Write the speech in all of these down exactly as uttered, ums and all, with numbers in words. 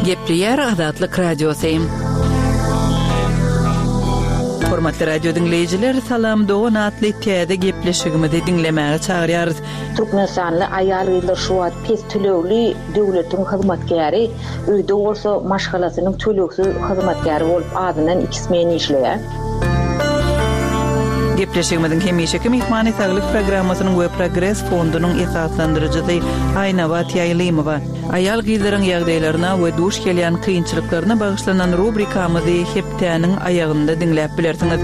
Gepleýär Azatlyk Radiosy. Hormatly radio diňleýjiler, Salam dogan atly täze gepleşigimizi diňlemäge çagyrýarys. Türkmenistanly aýal-gyzlar şu wagt pes tölegli döwletiň hyzmatkäri, öýde bolsa maşgalasynyň tölegsiz hyzmatkäri bolup azyndan iki smen işleýär. Gepleşigimiziň hemişeki myhmany Saglyk programmasynyň we Progres fondunyň esaslandyryjysy Aýnabat Ýaýlymowa. Aýal-gyzlaryň ýagdaýlaryna we duş gelýän kynçylyklaryna bagyşlanan rubrikamyzy hepdäniň aýagynda diňläp bilersiňiz.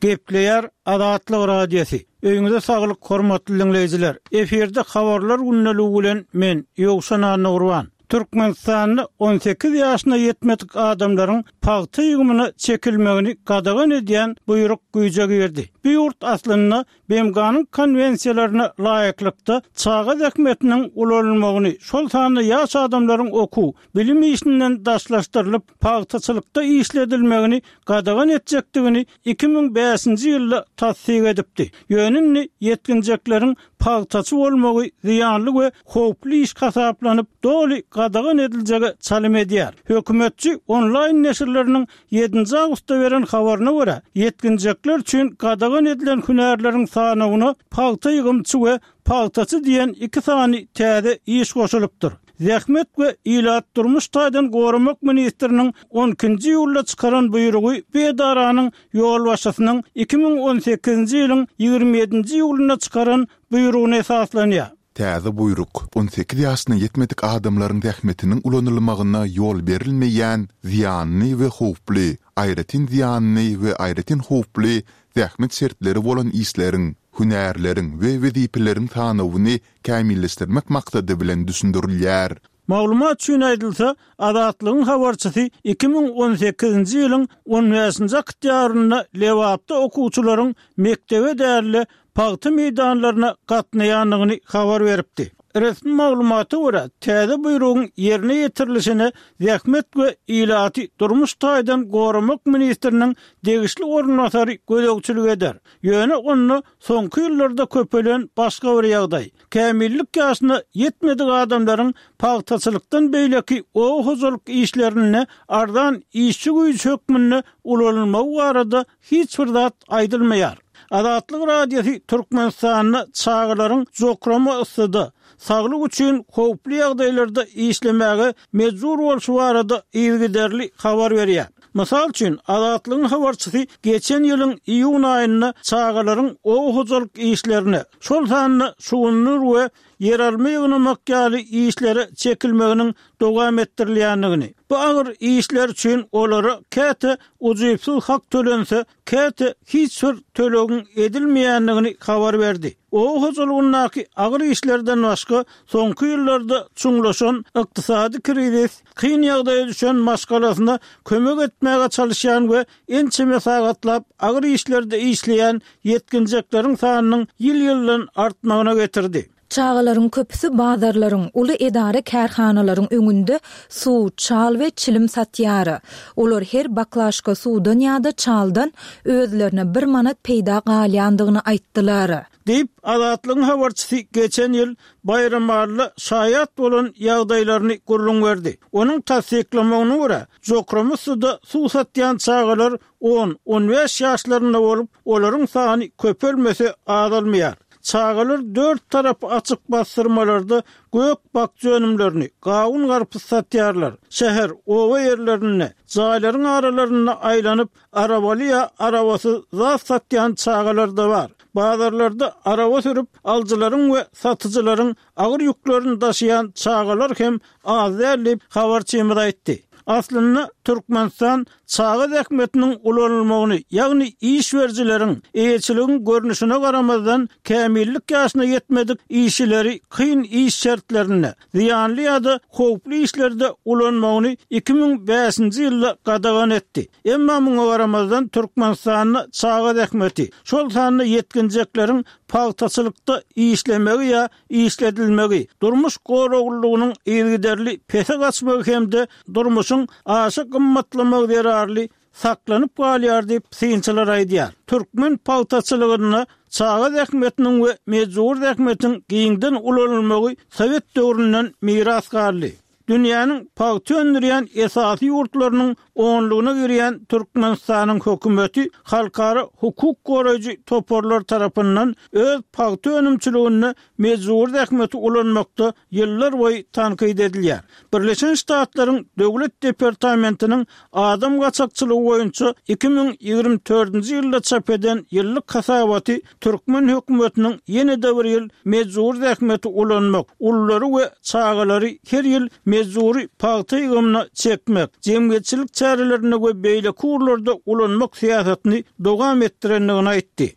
Gepleýär Azatlyk Radiosy. Öýüňize saglyk, hormatly diňleýjiler. Efirde habarlar gündeligi bilen men Ýowşan Annagurban. Türkmenistanda on sekiz ýaşyna ýetmedik adamlaryň pagta ýygymyna çekilmegini gadagan edýän buýruk güýje girdi. Bu ýurt aslynda B M G-nyň konwensiýalaryna laýyklykda çaga zähmetiniň ulanylmagyny, şol sanda ýaş adamlaryň okuw, bilim işinden daşlaşdyrylyp pagtaçylykda işledilmegini gadagan etjekdigini iki müň bäşinji ýylda tassyk edipdi. Ýöne indi ýetginjekleriň pagtaçy bolmagy zyýanly we howply iş hasaplanyp, doly gadagan ediljege çalym edýär. Hökümetçi onlaýn neşirleriniň ýedinji awgustda beren habaryna görä, ýetginjekler üçin gadagan edilen hünärleriň sanawyna pagta ýygymçy we pagtaçy diýen iki sany täze iş goşulypdyr. Zähmet we ilat durmuş taýdan goramak ministriniň on ikinji iýulda çykaran buýrugy bu edaranyň ýolbaşçysynyň iki müň on sekizinji ýylyň ýigrimi ýedinji iýulynda çykaran buýrugyna esaslanýar. Täze buýruk on sekiz ýaşyna ýetmedik adamlaryň zähmetiniň ulanylmagyna ýol berilmeýän zyýanly we howply, aýratyn zyýanly we aýratyn howply zähmet şertleri bolan işleriň, hünärleriň we wezipeleriň sanawyny kämilleşdirmek maksady bilen düşündirilýär. Maglumat üçin aýdylsa, Azatlygyň habarçysy iki müň on sekizinji ýylyň on bäşinji oktýabrynda Lebapda okuwçylaryň mekdebe däl-de pagta meýdanlaryna gatnaýandygyny habar beripdi. Resmi maglumata görä, täze buýrugyň ýerine ýetirilişine Zähmet we ilaty durmuş taýdan goramak ministriniň degişli orunbasary gözegçilik eder. Ýöne onda soňky ýyllarda köpelen başga bir ýagdaý. Kämillik ýaşyna ýetmedik adamlaryň pagtaçylykdan beýleki oba hojalyk işlerinde arzan işçi güýji hökmünde ulanylmagy barada hiç bir zat aýdylmaýar. Azatlyk Radiosy Türkmenistanda çagalaryň jokrama yssyda, saglyk üçin howply ýagdaýlarda işlemäge mejbur bolşy barada yzygiderli habar berýär. Mysal üçin, Azatlygyň habarçysy geçen ýylyň iýun aýynda çagalaryň oba hojalyk işlerine, şol sanda şugundyr we ýeralma ýygnamak ýaly işlere çekilmeginiň dowam etdirilýändigini, bu agyr işler üçin olara käte ujypsyz hak tölense, käte hiç bir tölegiň edilmeýändigini habar berdi. Oba hojalygyndaky agyr işlerden başga soňky ýyllarda çuňlaşan ykdysady krizis, kyn ýagdaýa düşen maşgalasyna kömek etmäge çalyşýan we ençeme sagatlap agyr işlerde işleýän ýetginjekleriň sanynyň ýyl-ýyldan artmagyna getirdi. Çagalaryň köpüsi bazarlaryň, uly edara kärhanalaryň öňünde suw, çal we çilim satýar. Olar her baklaşka suwdan ýa-da çaldan özlerine bir manat peýda galýandygyny aýtdylar. Diýip, Azatlygyň habarçysy geçen ýyl Baýramalyda şaýat bolan ýagdaýlaryny gürrüň berdi. Onuň tassyklamagyna görä, jokrama suwda suw satýan çagalar on, on bäş ýaşlarynda bolup, olaryň sany köpelmese azalmaýar. Çagalar dört tarapy açyk basdyrmalarda gök bakja önümlerini, gawun garpyz satýarlar. Şäher, oba ýerlerinde, jaýlaryň aralarynda aýlanyp, arabaly ýa arabasyz zat satýan çagalar da bar. Bazarlarda araba sürüp, alyjylaryň we satyjylaryň agyr ýüklerini daşaýan çagalar hem az däl diýip, habarçymyz aýtdy. Aslynda Türkmenistan çaga zähmetiniň ulanylmagyny, ýagny iş berijileriň, eýeçiligiň görnüşine garamazdan kämillik ýaşyna ýetmedik işçileri kyn iş şertlerinde, zyýanly ýa-da howply işlerde ulanmagyny iki müň bäşinji ýylda gadagan etdi. Emma muňa garamazdan Türkmenistanda çaga zähmeti, şol sanda ýetginjekleriň pagtaçylykda işlemegi ýa işledilmegi, durmuş goraglylygynyň yzygiderli pese gaçmagy hem-de durmuşyň aşa gymmatlamagy zerarly saklanyp galýar diýip synçylar aýdýar. Türkmen pagtaçylygynda çaga zähmetiniň we mejbur zähmetiň giňden ulanylmagy Sowet döwründen miras galdy. Dünýäniň pagta öndürýän esasy ýurtlarynyň onlugyna girýän Türkmenistanyň hökümeti halkara hukuk goraýjy toparlar tarapyndan öz pagta önümçiliginde mejbur zähmeti ulanmakda ýyllar boýy tankyt edilýär. Birleşen Ştatlaryň Döwlet departamentiniň adam gaçakçylygy boýunça iki müň ýigrimi dördünji ýylda çap eden ýyllyk hasabaty türkmen hökümetiniň ýene-de bir ýyl mejbur zähmeti ulanmak, ululary we çagalary her ýyl mejburi pagta ýygymyna çekmek, jemgyýetçilik çärelerinde we beýleki ugurlarda ulanmak syýasatyny dowam etdirendigini aýtdy.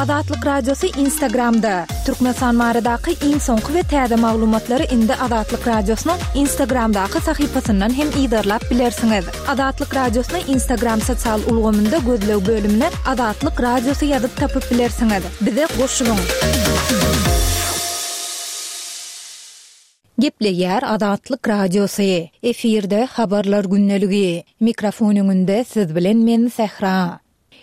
Azatlyk Radiosy Instagramda. Türkmenistan baradaky iň soňky we täze maglumatlary indi Azatlyk Radiosynyň Instagramdaky sahypasyndan hem yzarlap bilersiňiz. Azatlyk Radiosyny Instagram sosial ulgamynda gözleg bölümine Azatlyk Radiosy ýazyp tapyp bilersiňiz. Bize goşulyň. Gepleýär Azatlyk Radiosy. Efirde habarlar gündeligi. Mikrofon öňünde siz bilen men Sähra.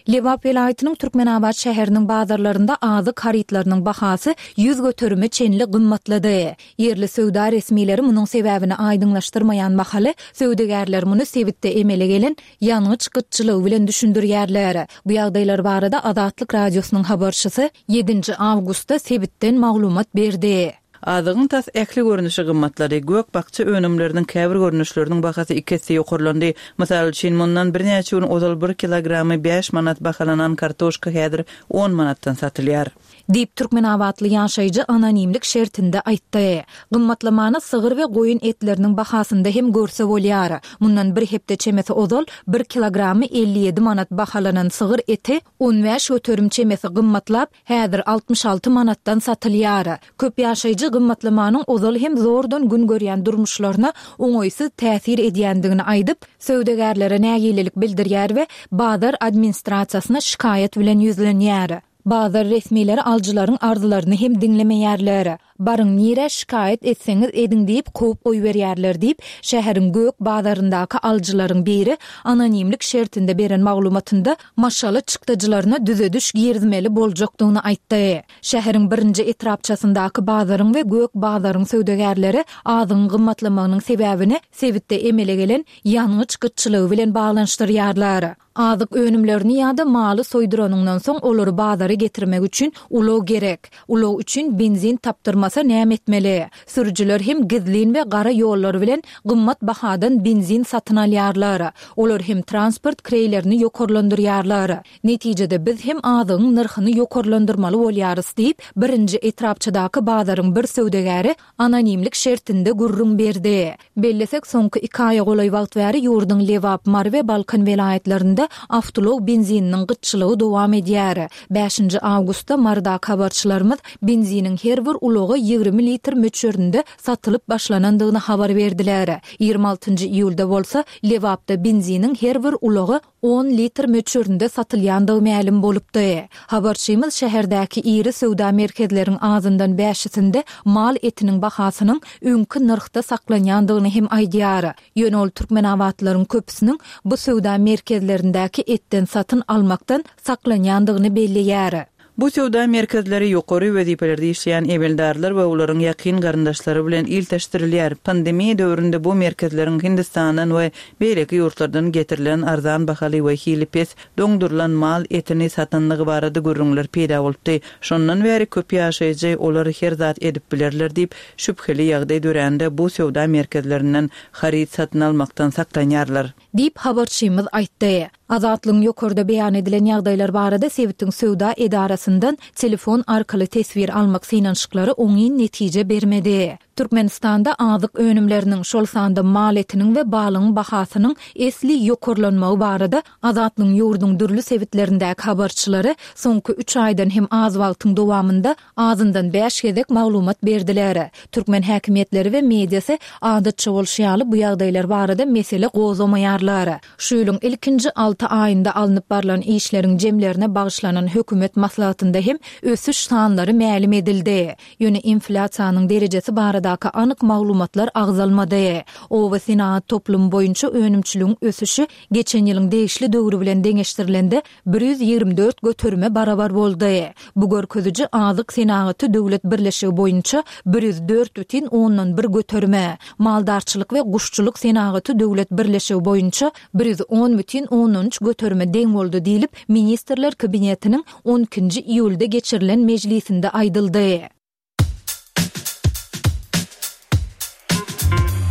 Lebap welaýatynyň Türkmenabat şäheriniň bazarlarynda azyk harytlarynyň bahasy ýüz göterime çenli gymmatlady. Ýerli söwda resmileri munuň sebäbini aýdyňlaşdyrmaýan mahaly söwdagärler muny sebitde emele gelen ýangyç gytçylygy bilen düşündirýärler. Bu ýagdaýlar barada Azatlyk Radiosynyň habarçysy ýedinji awgustda sebitden maglumat berdi. Azygyň tas ähli görnüşi gymmatlary, gök bakça önümleriniň käbir görnüşleriniň bahasy iki esse ýokarlandy. Mysal üçin, mundan birnäçe gün ozal bir kilogramy bäş manat bahalanan kartoşka häzir on manatdan satylýar. Diýip Türkmenabatly ýaşaýjy anonimlik şertinde aýtdy. Gymmatlamany sygyr we goýun etleriniň bahasynda hem görse bolýar. Mundan bir hepde çemesi ozal bir kilogramy elli ýedi manat bahalanan sygyr eti on bäş göterim çemesi gymmatlap, häzir altmyş alty manatdan satylýar. Köp ýaşaýjy gymmatlamanyň ozal hem zordan gün görýän durmuşlaryna oňaýsyz täsir edýändigini aýdyp, söwdagärlere nägilelik bildirýär we bazar administrasiýasyna şikaýat bilen ýüzlenýär. Bazar resmileri alyjylaryň arzylaryny hem diňlemeýärler. Baryň nirä şikaýat etseňiz ediň diýip kowup goýberýärler diýip, şäheriň gök bazaryndaky alyjylaryň biri anonimlik şertinde beren maglumatynda maşgala çykdajylaryna düzediş girizmeli boljakdygyny aýtdy. Şäheriň birinji etrapçasyndaky bazaryň we gök bazaryň söwdagärleri azygyň gymmatlamagynyň sebäbini sebitde emele gelen ýangyç gytçylygy bilen baglanyşdyrýarlar. Azyk önümlerini ýa-da maly soýduranyňdan soň olary bazara getirmek üçin ulag gerek. Ulag üçin benzin tapdyrmasa näme etmeli? Sürüjiler hem gizlin we gara ýollar bilen gymmat bahadan benzin satyn alýarlar. Olar hem transport kreýlerini ýokarlandyrýarlar. Netijede biz hem azygyň nyrhyny ýokarlandyrmaly bolýarys diýip, birinji etrapçadaky bazaryň bir söwdagäri anonimlik şertinde gürrüň berdi. Bellesek, soňky iki aýa golaý wagt bäri ýurduň Lebap, Mary we Balkan welaýatlarynda awtoulag benzininiň gytçylygy dowam edýär. Bäşinji awgustda Marydaky habarçylarymyz benziniň her bir ulaga ýigrimi litr möçberinde satylyp başlanandygyny habar berdiler. Ýigrimi altynjy iýulda bolsa Lebapda benziniň her bir ulaga on litr möçberinde satylýandygy mälim bolupdy. Habarçymyz şäherdäki iri söwda merkezleriň azyndan bäşisinde mal etiniň bahasynyň öňki nyrhda saklanýandygyny hem aýdýar. Ýöne ol Türkmenabatlaryň köpüsiniň bu söwda merkezlerindäki etden satyn almakdan saklanýandygyny belleýär. Bu söwda merkezleri ýokary wezipelerde işleýän emeldarlar we olaryň ýakyn garyndaşlary bilen ilteşdirilýär. Pandemiýa döwründe bu merkezleriň Hindistandan we beýleki ýurtlardan getirilen arzan bahaly we hili pes doňdurylan mal etini satanlygy barada gürrüňler peýda bolupdy. Şondan bäri köp ýaşaýjy olar her zat edip bilerler diýip şübheli ýagdaý dörände bu söwda merkezlerinden haryt satyn almakdan saklanýarlar. Diýip habarçymyz aýtdy. Azatlygyň ýokarda beýan edilen ýagdaýlar barada sebitiň söwda edarasyndan telefon arkaly teswir almak synanyşyklary oňyn netije bermedi. Türkmenistanda azyk önümleriniň, şol sanda mal etiniň we balygyň bahasynyň esli ýokarlanmagy barada Azatlygyň ýurduň dürli sebitlerindäki habarçylary soňky üç aýdan hem az wagtyň dowamynda azyndan bäş gezek maglumat berdiler. Türkmen häkimiýetleri we mediasy adatça bolşy ýaly bu ýagdaýlar barada mesele gozgamaýarlar. Şu ýylyň ilkinji alty aýynda alnyp barlan işleriň jemlerine bagyşlanan hökümet maslahatynda hem ösüş sanlary mälim edildi. Ýöne inflýasiýanyň derejesi baradaky anyk maglumatlar agzalmady. Oba senagat toplumy boýunça önümçiligiň ösüşi geçen ýylyň degişli döwri bilen deňeşdirilende bir ýüz ýigrimi dört göterime barabar boldy. Bu görkeziji Azyk senagaty döwlet birleşigi boýunça bir ýüz dört bütin ondan bir göterime, Maldarçylyk we guşçulyk senagaty döwlet birleşigi boýunça bir ýüz on bütin ondan üç göterime deň boldy diýlip, Ministrler Kabinetiniň on ikinji iýulda geçirilen mejlisinde aýdyldy.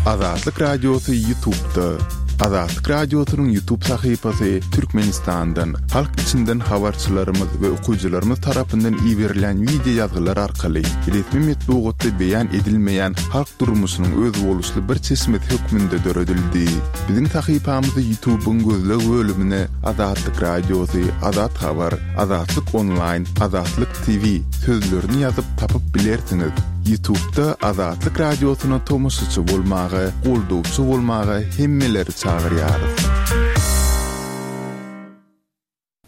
Azatlyk Radiosy YouTube'da. Azatlyk Radiosynyň YouTube sahypasy Türkmenistandan, halk içinden habarçylarymyz we okyjylarymyz tarapyndan iberilen wideo ýazgylar arkaly resmi metbugatda beýan edilmeýän halk durmuşynyň özboluşly bir çeşmesi hökmünde döredildi. Biziň sahypamyzy YouTube'yň gözleg bölümine Azatlyk Radiosy, Azat Habar, Azatlyk Online, Azatlyk T V sözlerini ýazyp tapyp bilersiňiz. YouTube'da Azatlyk Radiosyna tomaşaçy bolmaga, goldawçy bolmaga hemmeleri çagyrýarys.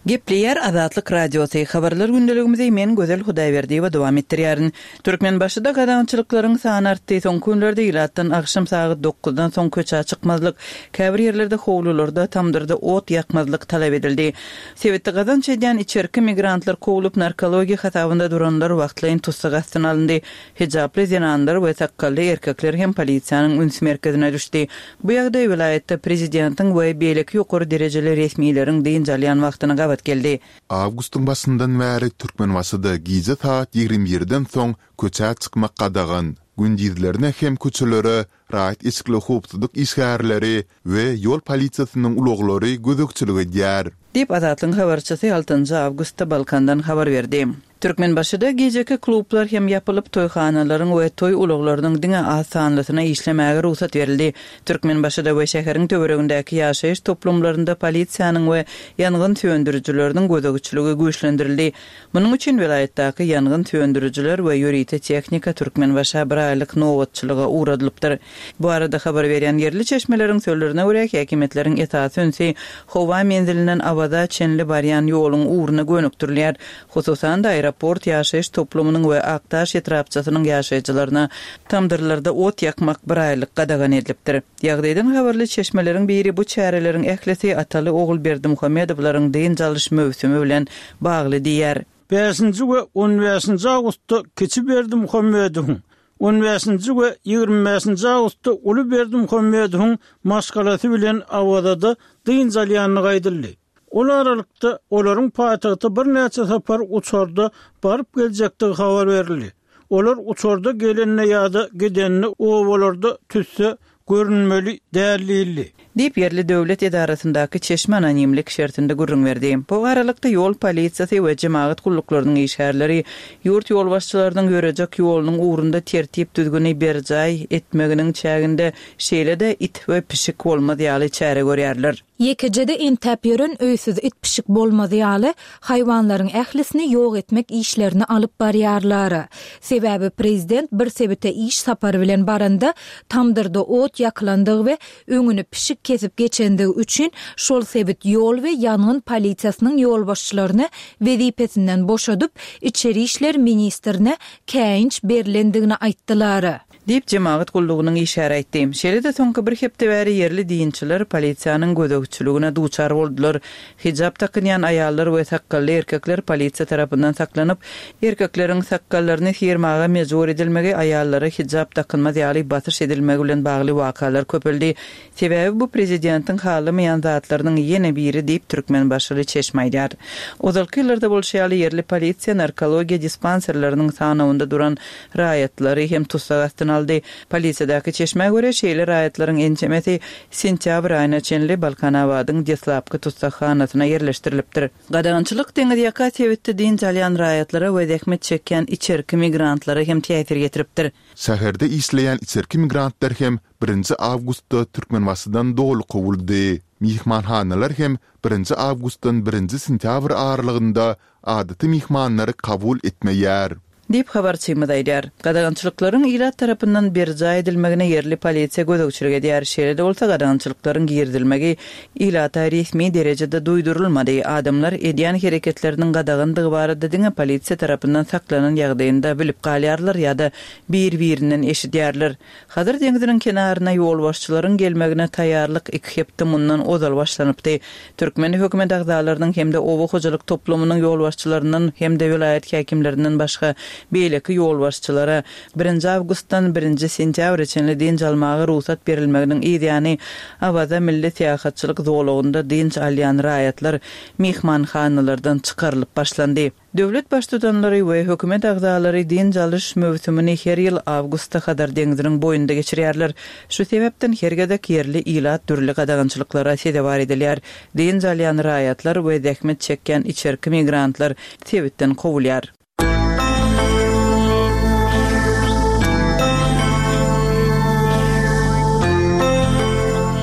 Gepleýär Azatlyk Radiosy. Habarlar gündeligimizi men Gözel Hudaýberdiýewa dowam etdirýärin. Türkmenbaşyda gadagançylyklaryň sany artdy. Soňky günlerde ilatdan agşam sagat dokuzdan soň köçä çykmazlyk, käbir ýerlerde howlularda, tamdyrda ot ýakmazlyk talap edildi. Sebitde gazanç edýän içerki migrantlar kowlup, narkologiýa hasabynda duranlar wagtlaýyn tussag astyna alyndy. Hijaply zenanlar we sakgally erkekler hem polisiýanyň üns merkezine düşdi. Bu ýagdaý welaýatda prezidentiň we beýleki ýokary derejeli resmileriň dynç alýan wagtyna gabat geldi. Awgustyň başyndan bäri Türkmenbaşyda gije saat ýigrimi birden soň köçä çykmak gadagan. Gündizlerine hem köçelere raýat eşikli howpsuzlyk işgärleri we ýol polisiýasynyň ulaglary gözegçilik edýär. Diýip Azatlygyň habarçysy altynjy awgustda Balkandan habar berdi. Türkmenbaşyda gijeki klublar hem ýapylyp, toýhanalaryň we toý ulaglarynyň diňe az sanlysyna işlemäge rugsat berildi. Türkmenbaşyda we şäheriň töweregindäki ýaşaýyş toplumlarynda polisiýanyň we ýangyn söndürijileriniň gözegçiligi güýçlendirildi. Munuň üçin welaýatdaky ýangyn söndürijiler we ýörite tehnika Türkmenbaşa bir aýlyk nobatçylyga ugradylypdyr. Bu arada habar berýän ýerli çeşmeleriň sözlerine görä häkimiýetleriň esasy ünsi howa menzilinden Awaza çenli barýan ýoluň ugruna gönükdirilýär. Hususan-da aeroport ýaşaýyş toplumynyň we Aktaş etrapçasynyň ýaşaýjylaryna tamdyrlarda ot ýakmak bir aýlyk gadagan edilipdir. Ýagdaýdan habarly çeşmeleriň biri bu çäreleriň ählisi Ataly Ogul Berdimuhamedowlaryň dynç alyş möwsümi bilen bagly diýär. Bäşinji we on bäşinji awgustda Kiçi Berdimuhamedowyň, on bäşinji we ýigrimi bäşinji awgustda Uly Berdimuhamedowyň maşgalasy bilen Awazada dynç alýanlygy aýdyldy. Ol aralykda olaryň paýtagta birnäçe sapar uçarda baryp geljekdigi habar berildi. Olar uçarda gelenine ýa-da gidenine obalarda tüsse görünmeli däl diýildi. Diýip ýerli döwlet edarasyndaky çeşme anonimlik şertinde gürrüň berdi. Bu aralykda ýol polisiýasy we jemagat gulluklarynyň işgärleri ýurt ýolbaşçylarynyň ýörejek ýolunyň ugrunda tertip düzgüni berjaý etmeginiň çäginde şeýle-de it we pişik bolmaz ýaly çäre görýärler. Ýekejede entäp ýören öýsüz it pişik bolmaz ýaly haýwanlaryň ählisini ýok etmek işlerini alyp barýarlar. Sebäbi prezident bir sebite iş sapary bilen baranda tamdyrda ot ýakylandygy we öňüni pişik kesip geçendigi üçin şol sebit ýol we ýangyn polisiýasynyň ýolbaşçylaryny wezipesinden boşadyp, içeri işler ministrine käýinç berilendigini aýtdylar. Diýip jemagat gullugynyň işgäri aýtdy. Şeýle-de soňky bir hepde bäri ýerli dinçiler polisiýanyň gözegçiligine duçar boldular. Hijap takynýan aýallar we sakgally erkekler polisiýa tarapyndan saklanyp, erkekleriň sakgallaryny sirmaga mejbur edilmegi, aýallara hijap takynmaz ýaly basyş edilmegi bilen bagly wakalar köpeldi. Sebäbi bu prezidentiň halamaýan zatlarynyň ýene biri diýip Türkmenbaşyly çeşme aýdýar. Ozalky ýyllarda bolşy ýaly ýerli polisiýa narkologiýa dispanserleriniň sanawynda duran raýatlary hem tussag astyna aldy. Polisiýadaky çeşmä görä şeýle raýatlaryň ençemesi sentýabr aýyna çenli Balkanabadyň deslapky tussaghanasyna ýerleşdirilipdir. Gadagançylyk deňiz ýaka sebitde dynç alýan raýatlara we zähmet çekýän içerki migrantlara hem täsir ýetiripdir. Şäherde işleýän içerki migrantlar hem birinji awgustda Türkmenbaşydan doly kowuldy. Mihmanhanalar hem birinji awgustdan birinji sentýabr aralygynda adaty mihmanlary kabul etmeýär. Diýip, habarçymyz aýdýar. Gadagançylyklaryň ilat tarapyndan berjaý edilmegine ýerli polisiýa gözegçilik edýär. Şeýle-de bolsa, gadagançylyklaryň girizilmegi ilata resmi derejede duýdurylmady. Adamlar edýän hereketleriniň gadagandygy barada diňe polisiýa tarapyndan saklanan ýagdaýynda bilip galýarlar ýa-da bir-birinden eşidýärler. Hazar deňziniň kenaryna ýolbaşçylaryň gelmegine taýýarlyk iki hepde mundan ozal başlanypdy. Türkmen hökümet agzalarynyň hem-de oba hojalyk toplumynyň ýolbaşçylaryndan hem-de welaýat häkimlerinden başga beýleki ýolbaşçylara birinji awgustdan birinji sentýabra çenli dynç almaga rugsat berilmeginiň yzýany Awaza milli syýahatçylyk zolagynda dynç alýan raýatlar myhmanhanalardan çykarylyp başlandy. Döwlet Baştutanlary we hökümet agzalary dynç alyş möwsümini her ýyl awgustda Hazar deňziniň boýunda geçirýärler. Şu sebäpden her gezek ýerli ilat dürli gadagançylyklara sezewar edilýär. Dynç alýan raýatlar we zähmet çekýän içerki migrantlar sebitden kowulýar.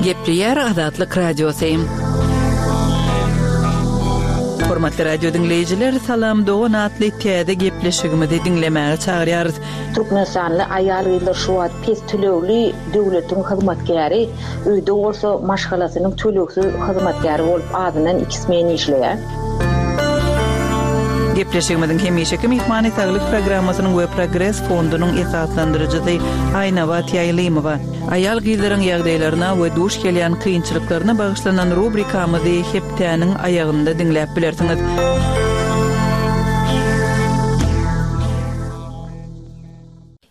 Gepleýär Azatlyk Radiosy. Hormatly radio diňleýjiler, Salam dogan atly täze gepleşigimizi diňlemäge çagyrýarys. Türkmenistanly aýal-gyzlar şu wagt pes tölegli döwletiň hyzmatkäri, öýde bolsa maşgalasynyň tölegsiz hyzmatkäri bolup azyndan iki smen işleýär. Gepleşigimiziň hemişeki myhmany Saglyk programmasynyň we Progres fondunyň esaslandyryjysy Aýnabat Ýaýlymowa. Aýal-gyzlaryň ýagdaýlaryna we duş gelýän kynçylyklaryna bagyşlanan rubrikamyzy hepdäniň aýagynda diňläp bilersiňiz.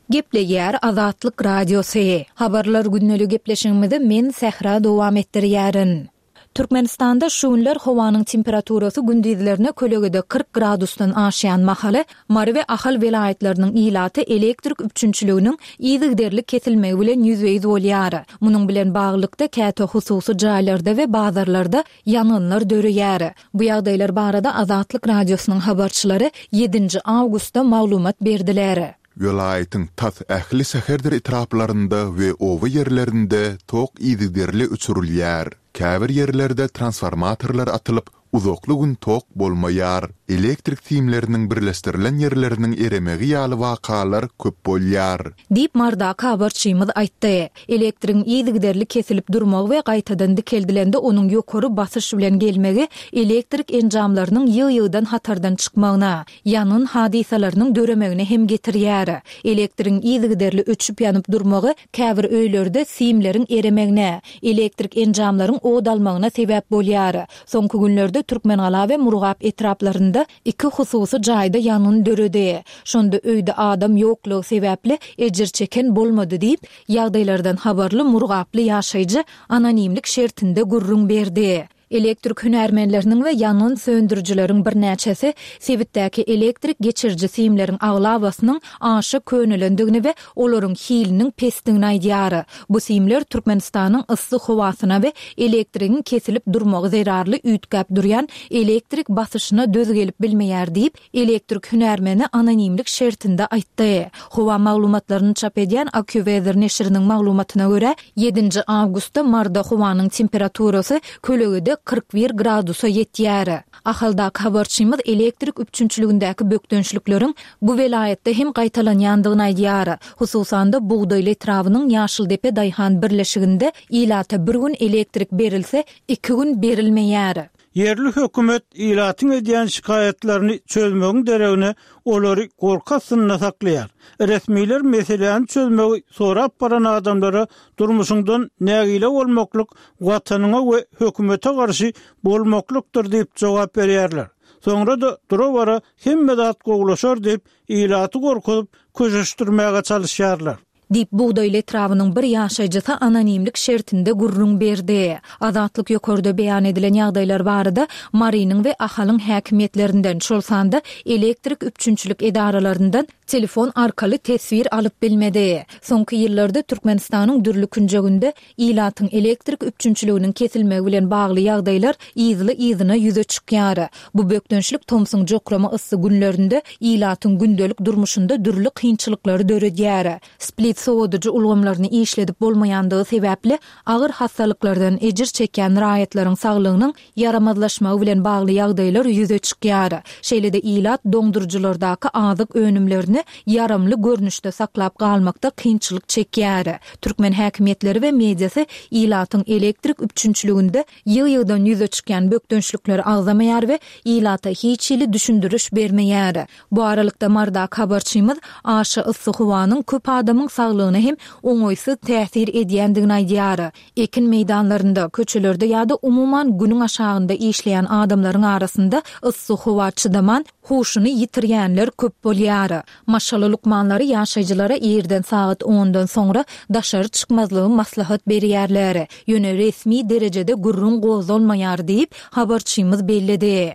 Gepleýär Azatlyk Radiosy. Habarlar günlük gepleşigimizi men Sähra dowam etdirýärin. Türkmenistanda şu günler howanyň temperaturasy gündizlerine kölegede kyrk gradusdan aşýan mahaly Mary we Ahal welaýatlarynyň ilaty elektrik üpjünçiliginiň yzygiderli kesilmegi bilen ýüzbe-ýüz bolýar. Munuň bilen baglylykda käte hususy jaýlarda we bazarlarda ýangynlar döreýär. Bu ýagdaýlar barada Azatlyk Radiosynyň habarçylary ýedinji awgustda maglumat berdiler. Welaýatyň tas ähli şäherdir etraplarynda we oba ýerlerinde tok yzygiderli öçürilýär. Käbir ýerlerde transformatorlar atylyp, uzakly gün tok bolmaýar. Elektrik simleriniň birleşdirilen ýerleriniň eremegi ýaly wakalar köp bolýar. Diýip Mardaky habarçymyz aýtdy. Elektrigiň yzygiderli kesilip durmagy we gaýtadan dikeldilende onuň ýokary basyş bilen gelmegi elektrik enjamlarynyň ýygy-ýygydan hatardan çykmagyna, ýangyn hadysalarynyň döremegine hem getirýär. Elektrigiň yzygiderli öçüp ýanyp durmagy käbir öýlerde simleriň eremegine, elektrik enjamlaryň od almagyna sebäp bolýar. Soňky günlerde Türkmengala we Murgap etraplarynda iki hususy jaýda ýangyn döredi. Şonda öýde adam ýoklugy sebäpli ejir çeken bolmady diýip, ýagdaýlardan habarly Murgaply ýaşaýjy anonimlik şertinde gürrüň berdi. Elektrik hünärmenleriniň we ýangyn söndürijileriň birnäçesi sebitdäki elektrik geçiriji simleriň aglabasynyň aşa könelendigini we olaryň hiliniň pesdigini aýdýar. Bu simler Türkmenistanyň yssy howasyna we elektrigiň kesilip durmagy zerarly üýtgäp durýan elektrik basyşyna döz gelip bilmeýär diýip, elektrik hünärmeni anonimlik şertinde aýtdy. Howa maglumatlaryny çap edýän AccuWeather neşiriniň maglumatyna görä, ýedinji awgustda Marda howanyň temperaturasy kölegede kyrk bir gradusa ýetýär. Ahaldaky habarçymyz elektrik üpjünçiligindäki bökdençlikleriň bu welaýatda hem gaýtalanýandygyny aýdýar. Hususan-da Bugdaýly etrabynyň Ýaşyldepe daýhan birleşiginde ilata bir gün elektrik berilse, iki gün berilmeýär. Ýerli hökümet ilatyň edýän şikaýatlaryny çözmegiň deregine olary gorky astynda saklaýar. Resmiler meseläni çözmegi sorap baran adamlara durmuşyňdan nägile bolmaklyk watanyňa we hökümete garşy bolmaklykdyr diýip jogap berýärler. Soňra-da dura-bara hemme zat gowulaşar diýip ilaty gorkuzyp köşeşdirmäge çalyşýarlar. Diýip Bugdaýly etrabynyň bir ýaşaýjysy anonimlik şertinde gürrüň berdi. Azatlyk ýokarda beýan edilen ýagdaýlar barada Marynyň we Ahalyň häkimiýetlerinden, şol sanda elektrik üpjünçilik edaralaryndan telefon arkaly teswir alyp bilmedi. Soňky ýyllarda Türkmenistanyň dürli künjeginde ilatyň elektrik üpjünçiliginiň kesilmegi bilen bagly ýagdaýlar yzly-yzyna ýüze çykýar. Bu bökdençlik tomsuň jokrama yssy günlerinde ilatyň gündelik durmuşynda dürli kynçylyklary döredýär. Split Sowadyjy ulgamlaryny işledip bolmaýandygy sebäpli agyr hassalyklardan ejir çekýän raýatlaryň saglygynyň ýaramazlaşmagy bilen bagly ýagdaýlar ýüze çykýar. Şeýle-de ilat doňduryjylardaky azyk önümlerini ýaramly görnüşde saklap galmakda kynçylyk çekýär. Türkmen häkimiýetleri we mediasy ilatyň elektrik üpjünçiliginde ýygy-ýygydan ýüze çykýan bökdençlikleri agzamaýar we ilata hiç hili düşündiriş bermeýär. Bu aralykda Marydaky habarçymyz aşa yssy howanyň köp adamyň saglygyna hem oňaýsyz täsir edýändigini aýdýar. Ekin meýdanlarynda, köçelerde ýa-da umuman günüň aşagynda işleýän adamlaryň arasynda yssy howa çydaman, huşuny ýitirýänler köp bolýar. Maşgala lukmanlary ýaşaýjylara irden sagat ondan soňra daşary çykmazlygy maslahat berýärler. Ýöne resmi derejede gürrüň gozgalmaýar diýip, habarçymyz belledi.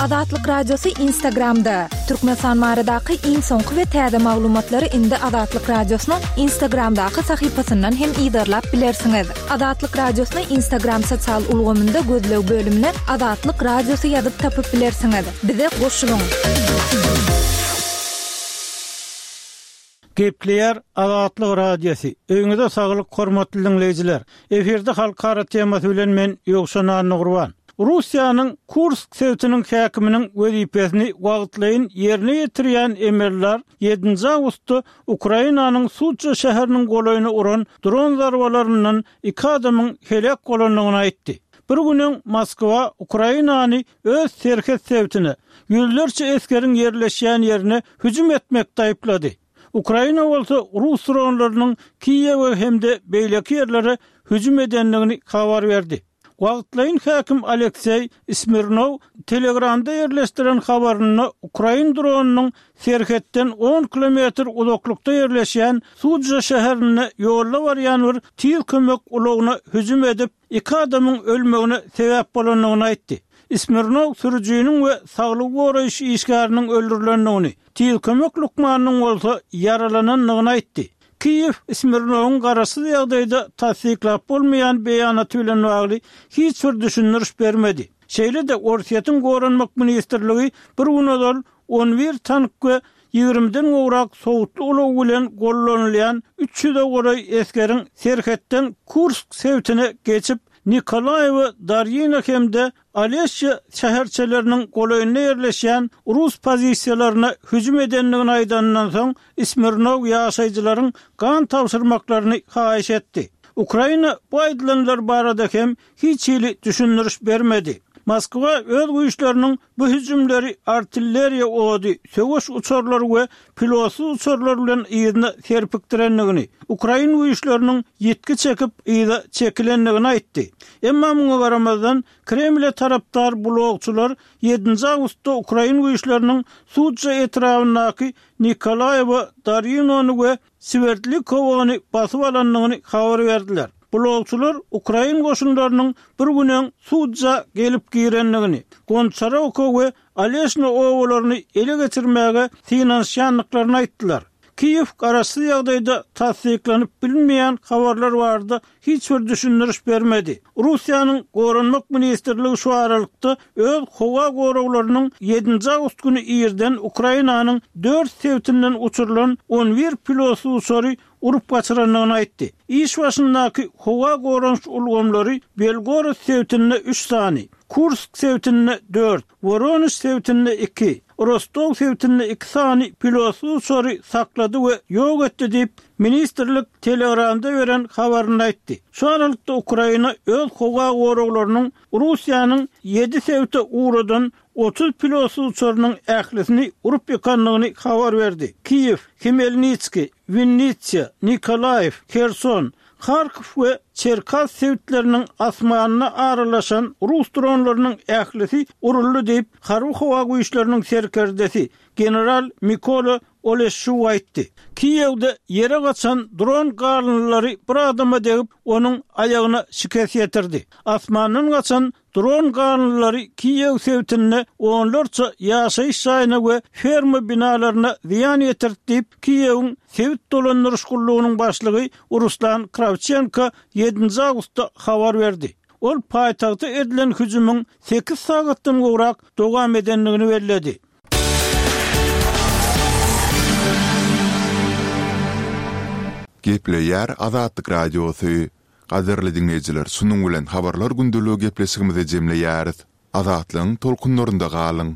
Azatlyk Radiosy Instagramda. Türkmenistan baradaky iň soňky we täze maglumatlary indi Azatlyk Radiosynyň Instagramdaky sahypasyndan hem yzarlap bilersiňiz. Azatlyk Radiosyny Instagram sosial ulgamynda gözleg bölümine Azatlyk Radiosy ýazyp tapyp bilersiňiz. Bize goşulyň! Gepleýär Azatlyk Radiosy. Öýüňize saglyk hormatly diňleýjiler. Efirde halkara temasy bilen men Ýowşan Annagurban. Russiýanyň Kursk sebitiniň häkiminiň wezipesini wagtlaýyn ýerine ýetirýän emeldar ýedinji awgustda Ukrainanyň Suça şäheriniň golaýyna uran dron zarbalaryndan iki adamyň heläk bolandygyny aýtdy. Bir gün öň Moskwa Ukrainany öz serhet sebitine, ýüzlerçe esgeriň ýerleşýän ýerine hüjüm etmekde aýyplady. Ukraina bolsa rus dronlarynyň Kiýewe hem-de beýleki ýerlere hüjüm edendigini habar berdi. Wagtlaýyn häkim Alekseý Smirnow Telegramda ýerleşdiren habarynda ukrain dronynyň serhetden on kilometr uzaklykda ýerleşýän Sudža şäherinde ýolda barýan bir tiz kömek ulagyna hüjüm edip, iki adamyň ölmegine sebäp bolandygyny aýtdy. Smirnow sürüjiniň we saglygy goraýyş işgäriniň öldürilendigini, tiz kömek lukmanynyň bolsa ýaralanandygyny aýtdy. Kiýew Smirnowyň garaşsyz ýagdaýda tassyklap bolmaýan beýanaty bilen bagly hiç bir düşündiriş bermedi. Şeýle-de Orsýetiň Goranmak ministrligi bir gün ozal on bir tank we ýigrimiden gowrak sowutly ulag bilen gollanylýan üç ýüze golaý esgeriň serhetden Kursk sebitine geçip, Nikolaýewo, Darýino hem-de Olesýa şäherçeleriniň golaýynda ýerleşýän rus pozisiýalaryna hüjüm edendigini aýdanyndan soň, Smirnow ýaşaýjylaryň gan tabşyrmaklaryny haýyş etdi. Ukraina bu aýdylanlar barada hem hiç hili düşündiriş bermedi. Moskwa öz güýçleriniň bu hüjümleri artilleriýa ody, söweş uçarlary we pilotsyz uçarlar bilen yzyna serpikdirendigini, ukrain güýçleriniň ýitgi çekip yza çekilendigini aýtdy. Emma muňa garamazdan, Kremle tarapdar blogçylar ýedinji awgustda ukrain güýçleriniň Sudža etrabyndaky Nikolaýewo, Darinony we Swerdlikowony basyp alandygyny habar berdiler. Blogçylar ukrain goşunlarynyň bir gün öň Sudža gelip girendigini, Gonçarowka we Oleşna obalaryny ele geçirmäge synanyşýandyklaryny aýtdylar. Kiýew garaşsyz ýagdaýda tassyklanyp bilinmeýän habarlar barada hiç bir düşündiriş bermedi. Russiýanyň Goranmak ministrligi şu aralykda öz howa goraglarynyň ýedinji awgust güni irden Ukrainanyň dört sebitinden uçurylan on bir pilotsyz uçary urup gaçyrandygyny aýtdy. Iş başyndaky howa goranyş ulgamlary Belgorod sebitinde üç sany, Kursk sebitinde dört, Woronež sebitinde iki, Rostow sebitinde iki sany pilotsyz uçary saklady we ýok etdi diýip, ministrlik Telegramda beren habarynda aýtdy. Şu aralykda Ukraina öz howa goraglarynyň Russiýanyň ýedi sebite ugradan otuz pilotsyz uçarynyň ählisini urup ýykandygyny habar berdi. Kiýew, Hmelnitskiý, Winnitsa, Nikolaýew, Herson, Harkow we Çerkas sebitleriniň asmanyna aralaşan rus dronlarynyň ählisi uruldy diýip, Harby-howa güýçleriniň serkerdesi general Mikola Oleşşuk aýtdy. Kiýewde ýere gaçan dron galyndylary bir adama degip, onuň aýagyna şikes ýetirdi. Asmandan gaçan dron galyndylary Kiýew sebitinde onlarça ýaşaýyş jaýyna we ferma binalaryna zyýan ýetirdi diýip, Kiýewiň sebit dolandyryş gullugynyň başlygy Ruslan Krawçenko ýedinji awgustda habar berdi. Ol paýtagta edilen hüjümiň sekiz sagatdan gowrak dowam edendigini belledi. Gepleýär Azatlyk Radiosy. Gadyrly diňleýjiler, şunuň bilen Habarlar gündeligi gepleşigimizi jemleýäris. Azatlygyň tolkunlarynda galyň!